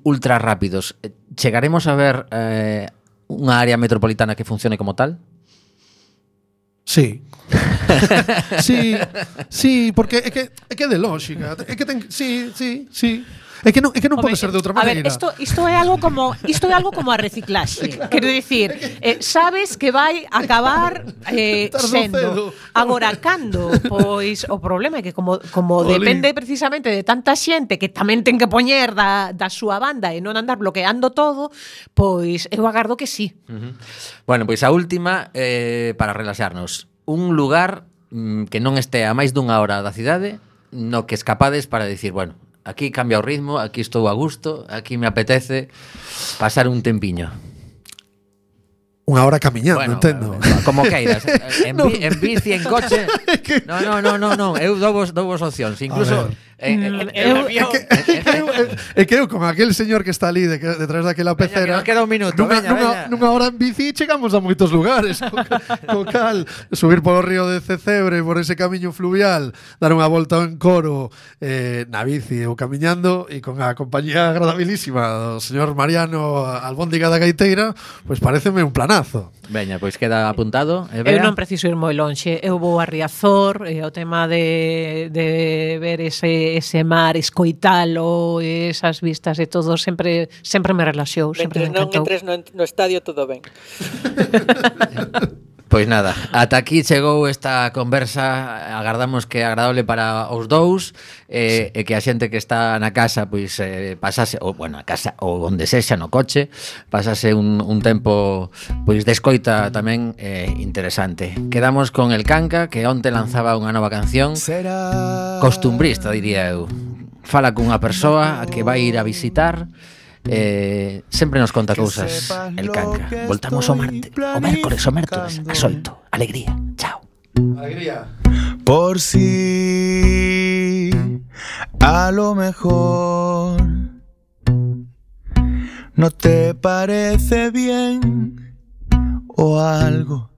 B: ultra rápidos. Chegaremos a ver unha área metropolitana que funcione como tal?
D: Sí. sí, porque é que é de lógica. É que sí. É que non pode ser de outra maneira.
A: A ver, isto é algo como a reciclaxe. Quero dicir, sabes que vai acabar sendo. Agora, cando? Pois o problema é que como depende precisamente de tanta xente que tamén ten que poñer da súa banda e non andar bloqueando todo, pois eu agardo que sí.
B: Bueno, pois a última, para relaxarnos. Un lugar que non este a máis dunha hora da cidade, no que escapades para dicir, bueno, aquí cambia o ritmo, aquí estou a gusto, aquí me apetece pasar un tempiño.
D: Unha hora camiñando, entendo.
B: Como queiras. En bici, en coche. No. Eu dou vos opcións. Incluso
D: É que eu con aquel señor que está ali detrás daquela pecera.
B: Veña, queda un minuto.
D: Nunha hora en bici chegamos a moitos lugares. Co cal, subir polo río de Cecebre, por ese camiño fluvial, dar unha volta en coro na bici ou camiñando, e con a compañía agradabilísima do señor Mariano Albóndiga da Gaiteira, pois pareceme un planazo.
B: Veña, pois queda apuntado.
A: Eu non preciso ir moi lonxe. Eu vou a Riazor, o tema de ver ese mar, escoitalo, esas vistas e todo, sempre me relaxou, sempre me encantou.
C: Mentres non entres no estadio, todo ben.
B: Pois nada, ata aquí chegou esta conversa. Agardamos que é agradable para os dous, e que a xente que está na casa pois pasase, ou bueno, a casa ou onde sexa, no coche, pasase un tempo pois de escoita tamén interesante. Quedamos con El Canca, que onte lanzaba unha nova canción costumbrista, diría eu. Fala cunha persoa a que vai ir a visitar. Sempre nos conta cousas El Canca. Voltamos o mércoles o mércoles ás 8. Alegría, chao.
D: Alegría.
F: Por si a lo mejor no te parece bien o algo.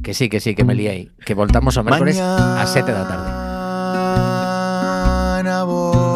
B: Que sí, que me liei. Que voltamos o mércoles ás 7 da tarde.